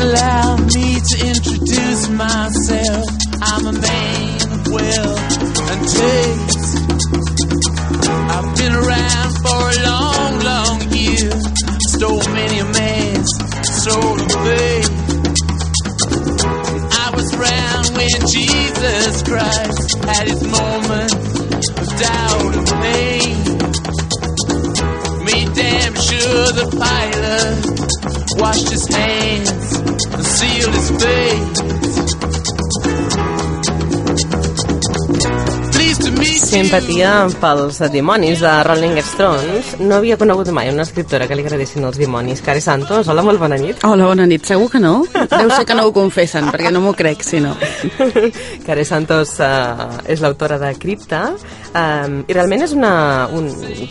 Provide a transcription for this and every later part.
allow me to introduce myself. I'm a man of wealth and taste. I've been around for a long, long year. Stole many a man's soul of faith. I was around when Jesus Christ had his moment of doubt and pain. Made damn sure the pilot washed his hands and sealed his face. Simpatia pels dimonis de Rolling Stones. No havia conegut mai una escriptora que li agradessin els dimonis. Care Santos, hola, molt bona nit. Hola, bona nit. Segur que no? Deu ser que no ho confessen, perquè no m'ho crec, si no. Care Santos és l'autora de Cripta, i realment és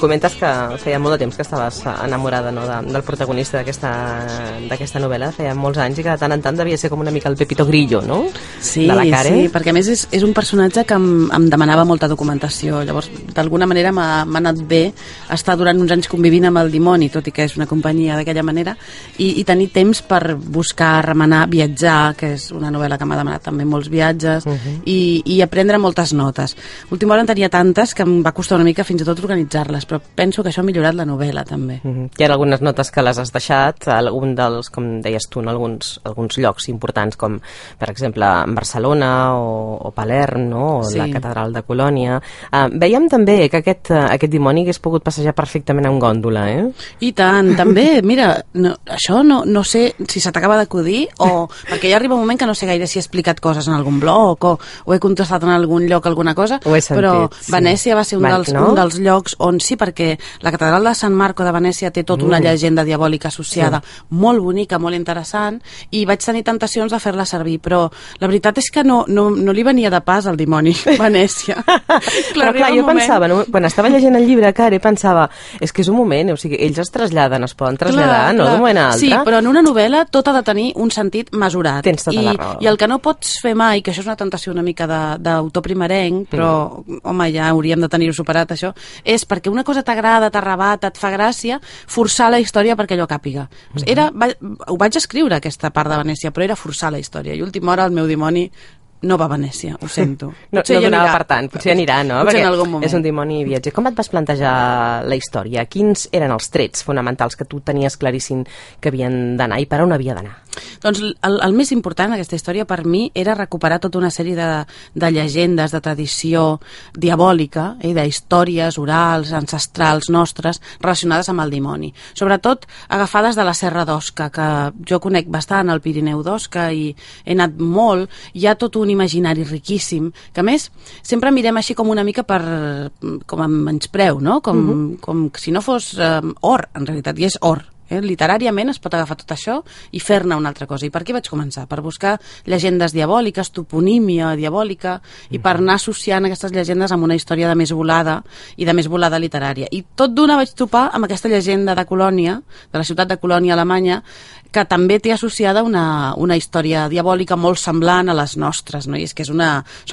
comentes que feia molt de temps que estaves enamorada, no, del protagonista d'aquesta novel·la, feia molts anys, i que de tant en tant devia ser com una mica el Pepito Grillo, no? Sí, de la Care. Sí, perquè a més és un personatge que em demanava molta documentació. Llavors, d'alguna manera m'ha anat bé estar durant uns anys convivint amb el dimoni, tot i que és una companyia d'aquella manera, i tenir temps per buscar, remenar, viatjar, que és una novel·la que m'ha demanat també molts viatges, i aprendre moltes notes. Última hora en tenia tantes que em va costar una mica fins i tot organitzar-les, però penso que això ha millorat la novel·la també. Hi ha algunes notes que les has deixat, algun dels, com deies tu, alguns llocs importants, com per exemple Barcelona o Palerm, no? O la catedral de Colònia. Veiem també que aquest dimoni hagués pogut passejar perfectament en gòndola, eh? I tant, també, mira, això no sé si se t'acaba d'acudir o... perquè ja arriba un moment que no sé gaire si he explicat coses en algun blog o he contestat en algun lloc alguna cosa, ho he sentit, però sí. Venècia va ser un dels llocs on sí, perquè la catedral de Sant Marco de Venècia té tota una llegenda diabòlica associada, molt bonica, molt interessant, i vaig tenir tentacions de fer-la servir, però la veritat és que no li venia de pas al dimoni Venècia. Però clar, jo pensava, no? Quan estava llegint el llibre, Care, pensava, és que és un moment, o sigui, ells es traslladen, es poden traslladar, no d'un moment a l'altre. Sí, però en una novel·la tot ha de tenir un sentit mesurat. Tens tota la raó. I el que no pots fer mai, que això és una tentació una mica d'autor primerenc, però, home, ja hauríem de tenir-ho superat, això, és perquè una cosa t'agrada, t'arrebata, et fa gràcia, forçar la història perquè allò càpiga. Ho vaig escriure, aquesta part de Venècia, però era forçar la història, i a última hora el meu dimoni no va a Venècia, ho sento. No donava per tant, potser anirà, no? Potser en algun moment. És un dimoni viatger. Com et vas plantejar la història? Quins eren els trets fonamentals que tu tenies claríssim que havien d'anar i per on havia d'anar? Doncs el més important d'aquesta història per mi era recuperar tota una sèrie de llegendes, de tradició diabòlica, d'històries orals, ancestrals nostres, relacionades amb el dimoni. Sobretot agafades de la Serra d'Osca, que jo conec bastant, el Pirineu d'Osca, i he anat molt. Hi ha tot un imaginari riquíssim, que a més sempre mirem així com una mica com a menyspreu, no? Com si no fos or, en realitat, i és or. Literàriament es pot agafar tot això i fer-ne una altra cosa. I per què vaig començar? Per buscar llegendes diabòliques, toponímia diabòlica, i per anar associant aquestes llegendes amb una història de més volada i de més volada literària. I tot d'una vaig topar amb aquesta llegenda de Colònia, de la ciutat de Colònia, Alemanya, que també té associada una història diabòlica molt semblant a les nostres, no? I és que són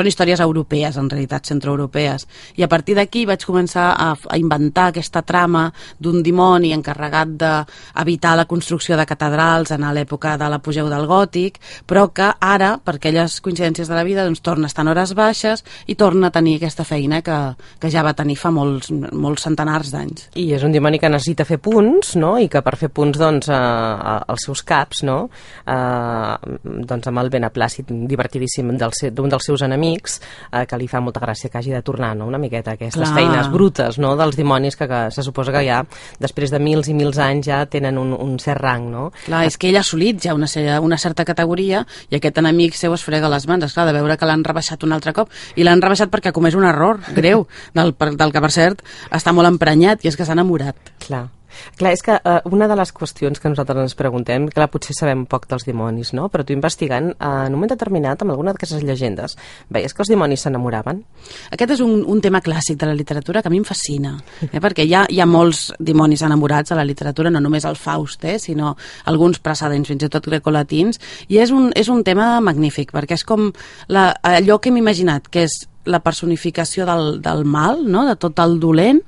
històries europees, en realitat, centroeuropees. I a partir d'aquí vaig començar a inventar aquesta trama d'un dimoni encarregat d'evitar la construcció de catedrals en l'època de l'apogeu del gòtic, però que ara, per aquelles coincidències de la vida, doncs torna a estar en hores baixes i torna a tenir aquesta feina que ja va tenir fa molts centenars d'anys. I és un dimoni que necessita fer punts, no? I que per fer punts, doncs, els seus caps, no? Doncs amb el beneplàcit divertidíssim d'un dels seus enemics, que li fa molta gràcia que hagi de tornar, no? Una miqueta aquestes feines brutes, no? Dels dimonis que se suposa que ja després de mils i mils anys ja tenen un cert rang, no? Clar, és que ell ha assolit ja una certa categoria i aquest enemic seu es frega les mans, esclar, de veure que l'han rebaixat un altre cop, i l'han rebaixat perquè ha comès un error greu, del que per cert està molt emprenyat, i és que s'ha enamorat. Clar, és que una de les qüestions que nosaltres ens preguntem, clar, potser sabem poc dels dimonis, no? Però tu investigant, en un moment determinat, amb alguna d'aquestes llegendes, veies que els dimonis s'enamoraven? Aquest és un tema clàssic de la literatura que a mi em fascina, perquè hi ha molts dimonis enamorats a la literatura, no només el Faust, sinó alguns precedents, fins i tot grecolatins, i és un tema magnífic, perquè és com allò que hem imaginat, que és la personificació del mal, no? De tot el dolent,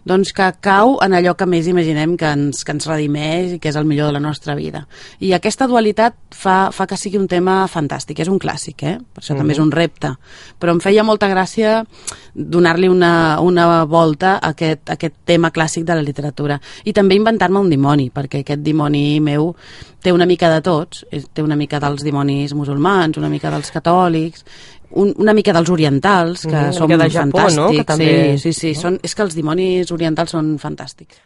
doncs que cau en allò que més imaginem que ens redimeix i que és el millor de la nostra vida. I aquesta dualitat fa que sigui un tema fantàstic, és un clàssic, per això també és un repte, però em feia molta gràcia donar-li una volta a aquest tema clàssic de la literatura i també inventar-me un dimoni, perquè aquest dimoni meu té una mica de tots, té una mica dels dimonis musulmans, una mica dels catòlics, una mica dels orientals, que són de Japó, fantàstics. No? Que també... Sí, és que els dimonis orientals són fantàstics.